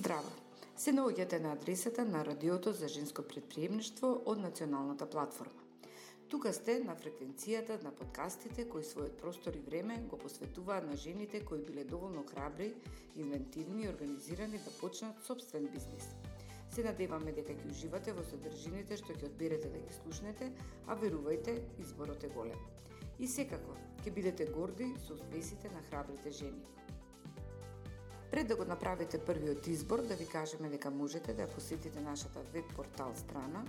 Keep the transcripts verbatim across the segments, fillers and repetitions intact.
Здраво! Се наоѓате на адресата на Радиото за женско претприемништво од Националната платформа. Тука сте на фреквенцијата на подкастите кои својот простор и време го посветуваат на жените кои биле доволно храбри, инвентивни и организирани да почнат собствен бизнис. Се надеваме дека ќе уживате во содржините што ќе одберете да ги слушнете, а верувајте, изборот е голем. И секако, ќе бидете горди со успесите на храбрите жени. Пред да го направите првиот избор, да ви кажеме дека можете да посетите нашата веб портал страна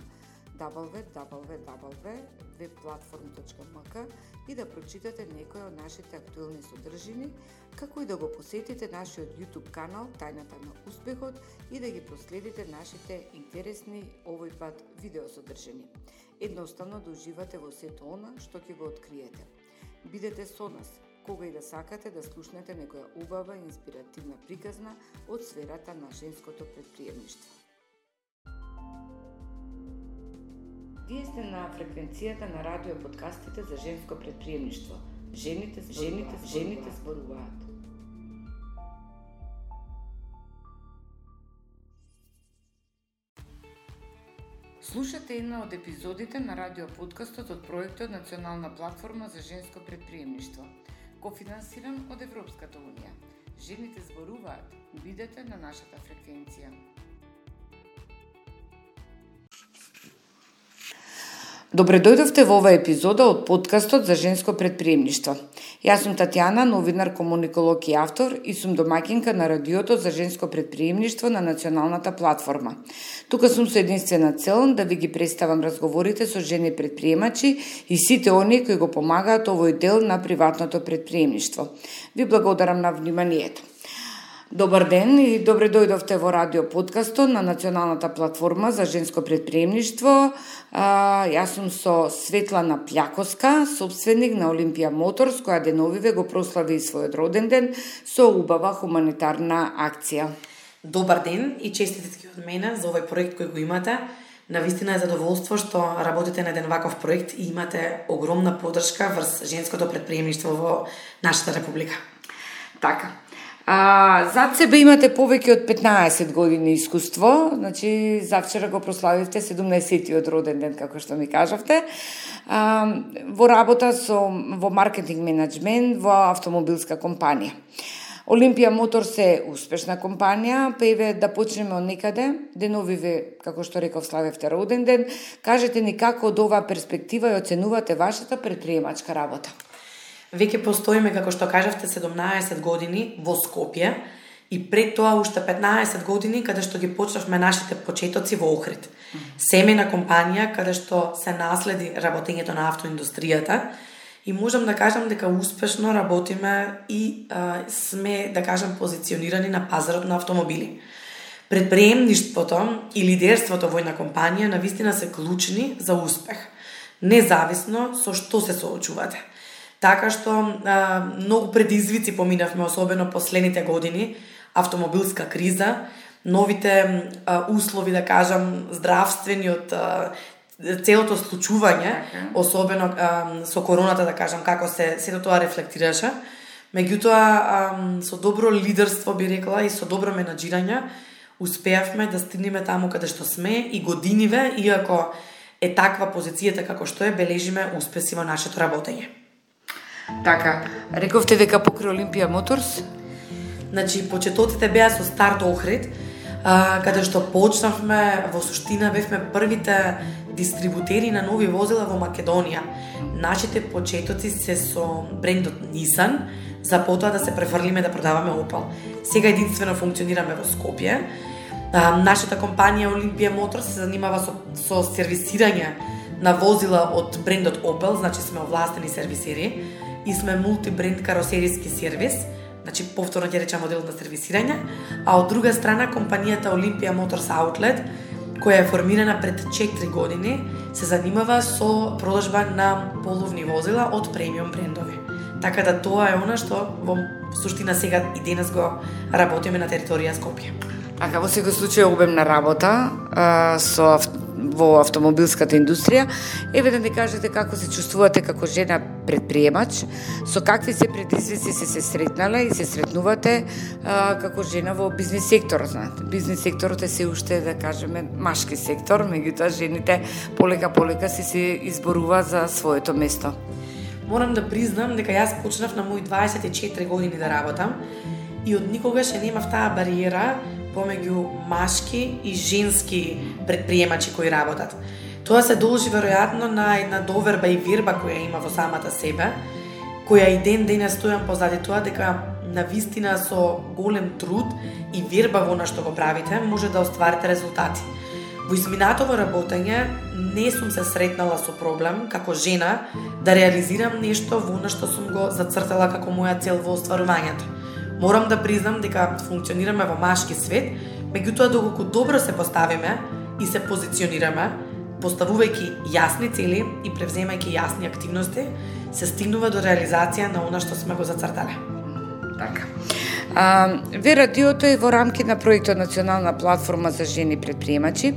дабл ю дабл ю дабл ю точка веб платформ точка ем ка и да прочитате некои од нашите актуелни содржини, како и да го посетите нашиот YouTube канал Тајната на успехот и да ги проследите нашите интересни овој пат видеосодржини. Едноставно да уживате во сето она што ќе го откриете. Бидете со нас кога и да сакате да слушнете некоја убава и инспиративна приказна од сферата на женското претприемништво. Вие сте на фреквенцијата на радио подкастите за женско претприемништво. Жените, жените, жените зборуваат. Слушате една од епизодите на радио подкастот од проектот Национална платформа за женско претприемништво, кофинансиран од Европската унија. Жените зборуваат. Бидете на нашата фреквенција. Добре дојдовте во оваа епизода од подкастот за женско претприемништво. Јас сум Татјана, новинар, комуниколог и автор и сум домаќинка на Радиото за женско претприемништво на Националната платформа. Тука сум со единствена цел да ви ги представам разговорите со жени претприемачи и сите оние кои го помагаат овој дел на приватното претприемништво. Ви благодарам на вниманието. Добар ден и добре дојдовте во радио подкастот на Националната платформа за женско претприемништво. А, јас сум со Светлана Пљакоска, собственик на Олимпија Моторс, која деновиве го прослави својот роден ден со убава хуманитарна акција. Добар ден и честитки од мене за овој проект кој го имате. Навистина е задоволство што работите на еден ваков проект и имате огромна поддршка врз женското претприемништво во нашата република. Така. А, зад себе имате повеќе од петнаесет години искуство, значи завчера го прославивте седумнаесеттиот роден ден, како што ми кажавте, а, во работа со, во маркетинг менеджмент во автомобилска компанија. Олимпија Моторс е успешна компанија, па еве да почнеме од некаде, деновиве, како што реков, славевте роден ден, кажете ни како од оваа перспектива ја оценувате вашата претприемачка работа. Веќе постоиме, како што кажавте, седумнаесет години во Скопје и пред тоа уште петнаесет години каде што ги почнавме нашите почетоци во Охрид. Семејна компанија каде што се наследи работењето на автоиндустријата и можам да кажам дека успешно работиме и а, сме, да кажам, позиционирани на пазарот на автомобили. Претприемништвото и лидерството во една компанија навистина се клучни за успех, независно со што се соочувате. Така што а, многу предизвици поминавме, особено последните години, автомобилска криза, новите а, услови, да кажам, здравствени од а, целото случување, особено а, со короната, да кажам, како се сето тоа рефлектираше. Меѓутоа, а, со добро лидерство, би рекла, и со добро менаџирање, успеавме да стигнеме таму каде што сме и годиниве, иако е таква позицијата како што е, бележиме успеси во нашето работење. Така, рековте дека покрај Олимпија Моторс? Значи, почетоците беа со старт Охрид, а, каде што почнавме, во суштина бевме првите дистрибутери на нови возила во Македонија. Нашите почетоци се со брендот Nissan, за потоа да се префрлиме да продаваме Opel. Сега единствено функционираме во Скопје. А, нашата компанија Олимпија Моторс се занимава со, со сервисирање на возила од брендот Opel, значи сме овластени сервисери и сме мултибренд каросериски сервис, значи повторно ќе речам моделот на сервисирање, а од друга страна компанијата Олимпија Моторс Outlet, која е формирана пред четири години, се занимава со продажба на половни возила од премиум брендови. Така да тоа е она што во суштина сега и денес го работиме на територија Скопје. Ака во секој случај обемна работа а, со во автомобилската индустрија. Еве да ни кажете како се чувствувате како жена предприемач, со какви се предизвици се се сретнале и се сретнувате а, како жена во бизнис секторот, знаете. Бизнис секторот е се уште, да кажеме, машки сектор, меѓутоа жените полека полека се се изборува за своето место. Морам да признам дека јас почнав на мои дваесет и четири години да работам и од никогаш не немав таа бариера помеѓу машки и женски предприемачи кои работат. Тоа се должи веројатно на една доверба и вирба која има во самата себе, која и ден денес стојам позади тоа дека навистина со голем труд и вирба во она што го правите може да остварите резултати. Во изминатово работење не сум се сретнала со проблем како жена да реализирам нешто во она што сум го зацртала како моја цел во остварувањето. Морам да признам дека функционираме во машки свет, меѓутоа доколку добро се поставиме и се позиционираме, поставувајќи јасни цели и превземајќи јасни активности, се стигнува до реализација на она што сме го зацртале. Така. А, ве радиото е во рамки на проектот Национална платформа за жени предприемачи,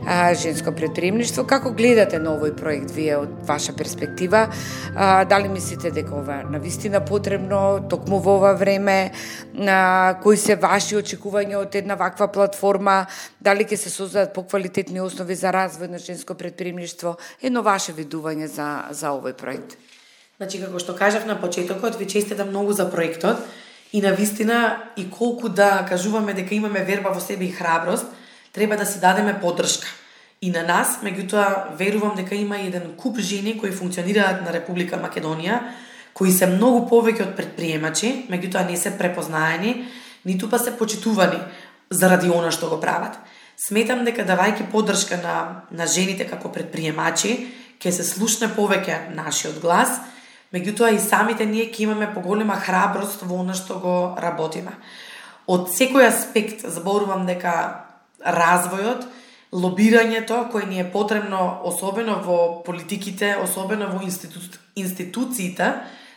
а, женско предприемништво. Како гледате на овој проект вие од ваша перспектива? А, дали мислите дека ова е навистина потребно токму во ова време? А, кои се ваши очекувања од една ваква платформа? Дали ќе се создадат поквалитетни основи за развој на женско предприемништво? Едно ваше видување за за овој проект. Значи, како што кажав на почетокот, ви честитам многу за проектот. И навистина, и колку да кажуваме дека имаме верба во себе и храброст, треба да си дадеме поддршка. И на нас, меѓутоа, верувам дека има еден куп жени кои функционираат на Република Македонија, кои се многу повеќе од предприемачи, меѓутоа не се препознаени, ниту па се почитувани заради она што го прават. Сметам дека давајќи поддршка на, на жените како предприемачи, ќе се слушне повеќе нашиот глас, меѓутоа и самите ние ќе имаме поголема храброст во она што го работиме. Од секој аспект зборувам дека развојот, лобирањето кое ни е потребно особено во политиките, особено во институ... институциите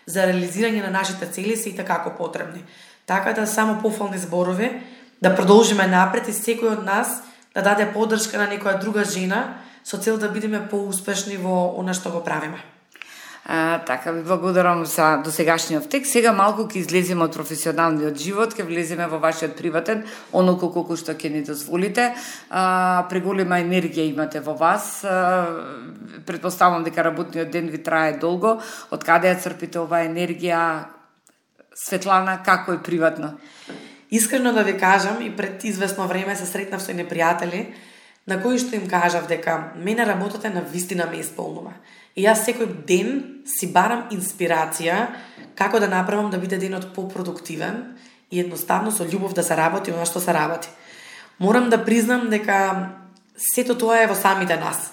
за реализирање на нашите цели се и такако потребни. Така да само пофални зборови, да продолжиме напред и секој од нас да даде поддршка на некоја друга жена со цел да бидеме поуспешни во она што го правиме. А, така, ви благодарам за досегашниот текст. Сега малку ќе излеземе од професионалниот живот, ќе влеземе во вашиот приватен, онолку колку што ќе ни дозволите. А, преголема енергија имате во вас. А, предпоставам дека работниот ден ви трае долго. Од каде ја црпите оваа енергија? Светлана, како е приватно? Искрено да ви кажам, и пред известно време се сретнав со непријатели, на кои што им кажав дека мене работата на вистина ме исполнува. И јас секој ден си барам инспирација како да направам да биде денот попродуктивен и едноставно со љубов да се работи она што се работи. Морам да признам дека сето тоа е во самите нас.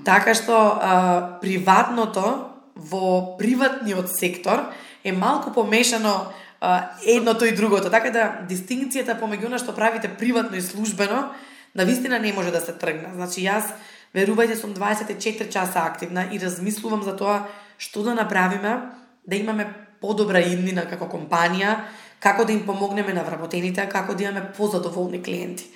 Така што а, приватното во приватниот сектор е малку помешано а, едното и другото. Така да дистинкцијата помеѓу она што правите приватно и службено навистина не може да се тргне. Значи јас, верувајте, сум дваесет и четири часа активна и размислувам за тоа што да направиме да имаме подобра иднина како компанија, како да им помогнеме на вработените, како да имаме позадоволни клиенти.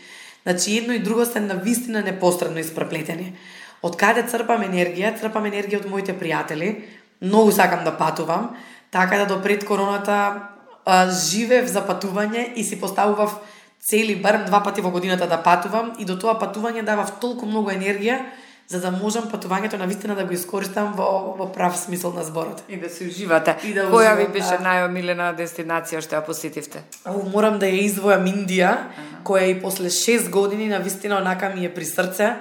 Значи едно и друго се навистина непосредно испреплетени. Од каде црпам енергија? Црпам енергија од моите пријатели. Многу сакам да патувам, така да до пред короната а, живеев за патување и си поставував цели барем два пати во годината да патувам и до тоа патување давав толку многу енергија за да можам патувањето навистина да го искористам во, во прав смисол на зборот. И да се уживате. И да Која уживам, ви беше да. најомилена дестинација што ја посетивте? О, морам да ја издвојам Индија, ага. која и после шест години навистина онака ми е при срце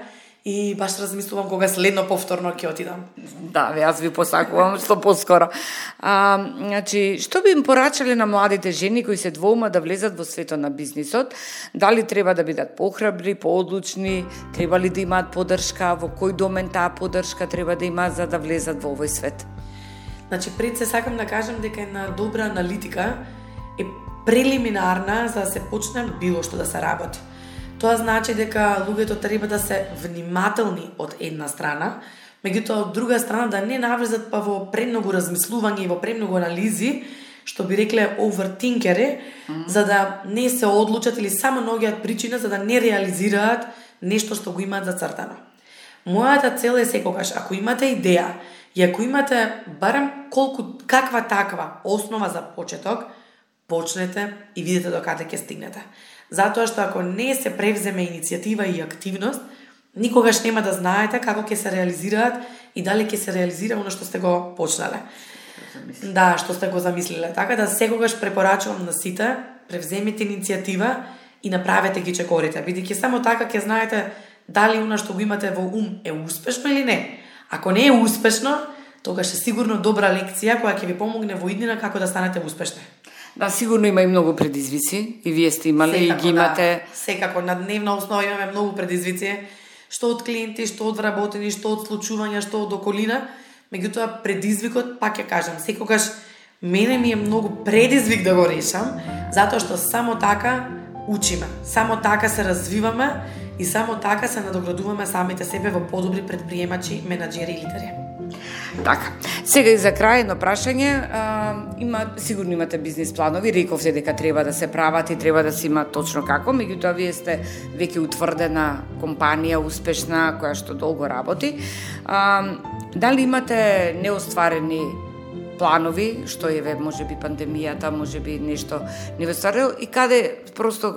и баш размислувам кога следно повторно ќе отидам. Да, јас ви посакувам што поскоро. А, значи, што би им порачале на младите жени кои се двоума да влезат во светот на бизнисот? Дали треба да бидат похрабри, поодлучни, треба ли да имаат поддршка, во кој домен таа поддршка треба да имаат за да влезат во овој свет? Значи, пред се сакам да кажам дека една добра аналитика е прелиминарна за да се почне било што да се работи. Тоа значи дека луѓето треба да се внимателни од една страна, меѓутоа од друга страна да не навлезат па во премногу размислување и во премногу анализи, што би рекле овертинкери, mm-hmm. за да не се одлучат или само наоѓаат причина за да не реализираат нешто што го имаат зацртано. Мојата цел е секогаш, ако имате идеја и ако имате барем колку каква таква основа за почеток, почнете и видите до каде ќе стигнете. Затоа што ако не се превземе иницијатива и активност, никогаш нема да знаете како ќе се реализираат и дали ќе се реализира оно што сте го почнале. Да, што сте го замислиле. Така да секогаш препорачувам на сите, превземете иницијатива и направете ги чекорите, бидејќи само така ќе знаете дали она што го имате во ум е успешно или не. Ако не е успешно, тогаш е сигурно добра лекција која ќе ви помогне во иднина како да станете успешни. Да, сигурно има и многу предизвици, и вие сте имали секако, и ги имате. Да, секако, на дневна основа имаме многу предизвици, што од клиенти, што од вработени, што од случувања, што од околина. Меѓутоа, предизвикот, пак ја кажам, секогаш мене ми е многу предизвик да го решам, затоа што само така учиме, само така се развиваме и само така се надоградуваме самите себе во подобри предприемачи, менаџери и лидери. Така. Сега и за крај едно прашање, а, има сигурно имате бизнис планови, рековте дека треба да се прават и треба да се има точно како, меѓутоа вие сте веќе утврдена компанија, успешна, која што долго работи. А, дали имате неостварени планови, што е можеби пандемијата, можеби нешто не ве стварило и каде просто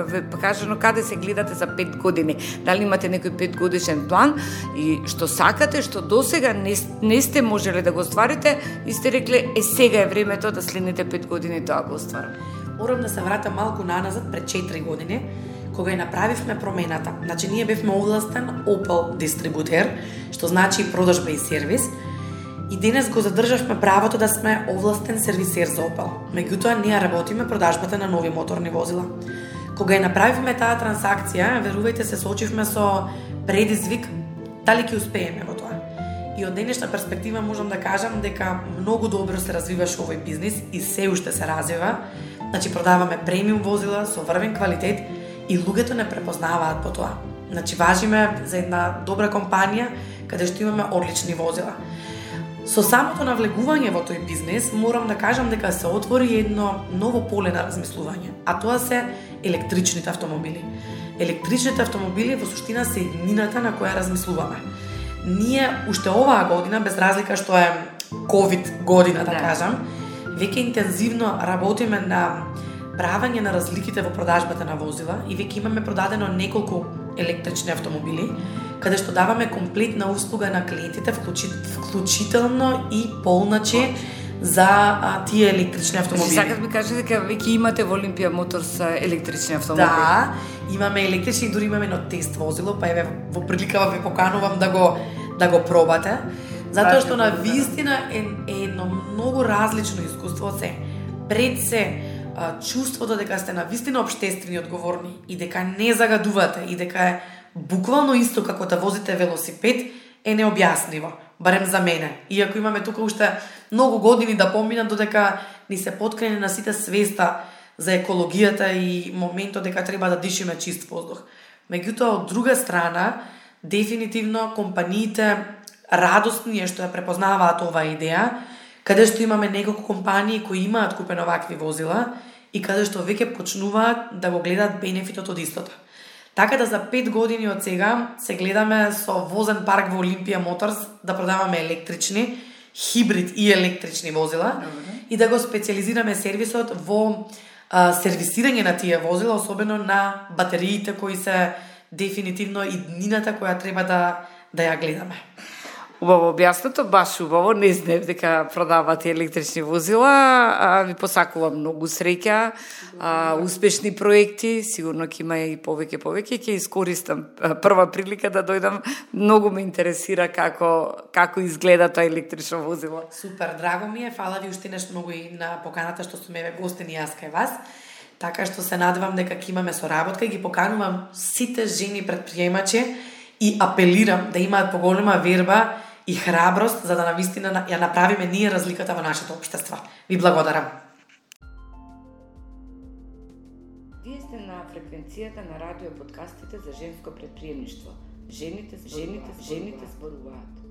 ве кажано каде се гледате за пет години? Дали имате некој петгодишен план и што сакате, што досега не, не сте можеле да го стварите и сте рекле е сега е времето да следните пет години тоа го стварам? Морам да се вратам малку наназад пред четири години, кога ја направивме промената. Значи ние бевме овластен Opel дистрибутер, што значи продажба и сервис. И денес го задржавме правото да сме овластен сервисер за Opel. Меѓутоа, ние работиме продажбата на нови моторни возила. Кога ја направивме таа трансакција, верувајте се соочивме со предизвик дали ќе успееме во тоа. И од денешна перспектива можам да кажам дека многу добро се развиваше овој бизнис и се уште се развива. Значи продаваме премиум возила со врвен квалитет и луѓето не препознаваат по тоа. Значи важиме за една добра компанија каде што имаме одлични возила. Со самото навлегување во тој бизнес, морам да кажам дека се отвори едно ново поле на размислување, а тоа се електричните автомобили. Електричните автомобили во суштина се еднината на која размислуваме. Ние уште оваа година, без разлика што е ковид година, да кажам, веќе интензивно работиме на правење на разликите во продажбата на возила и веќе имаме продадено неколку електрични автомобили, каде што даваме комплетна услуга на клиентите, вклучително и полначе за а, тие електрични автомобили. Сакат ми кажете дека веќе имате во Олимпија Моторс електрични автомобили. Да, имаме електрични и дури имаме едно тест возило, па еве во прилика ве поканувам да го да го пробате, затоа што на вистина е, е едно многу различно искуство се. Пред се чувството дека сте на вистина општествени одговорни и дека не загадувате и дека е буквално исто како да возите велосипед е необјаснливо, барем за мене. Иако имаме тука уште многу години да поминат додека ни се поткрене на сите свеста за екологијата и моментот дека треба да дишиме чист воздух. Меѓутоа, од друга страна, дефинитивно компаниите радостни е што ја препознаваат оваа идеја, каде што имаме неколку компании кои имаат купено вакви возила и каде што веќе почнуваат да го гледаат бенефитот од истото. Така да за пет години од сега се гледаме со возен парк во Олимпија Моторс да продаваме електрични, хибрид и електрични возила. Добре. И да го специализираме сервисот во а, сервисирање на тие возила, особено на батериите кои се дефинитивно иднината која треба да, да ја гледаме. Убаво објаснато, баш убаво, не знаев дека продавате електрични возила, а, ви посакувам многу среќа, а, успешни проекти, сигурно ќе има и повеќе повеќе, ќе искористам прва прилика да дојдам, многу ме интересира како како изгледа тоа електрично возило. Супер, драго ми е, фала ви уште нешто многу и на поканата што сте ме гостени јас кај вас. Така што се надевам дека ќе имаме соработка и ги поканувам сите жени предприемачи и апелирам да имаат поголема верба и храброст за да навистина ја направиме ние разликата во нашето општество. Ви благодарам. Вие сте на фреквенцијата на радио подкастите за женско предприемништво. Жените, жените, жените зборуваат.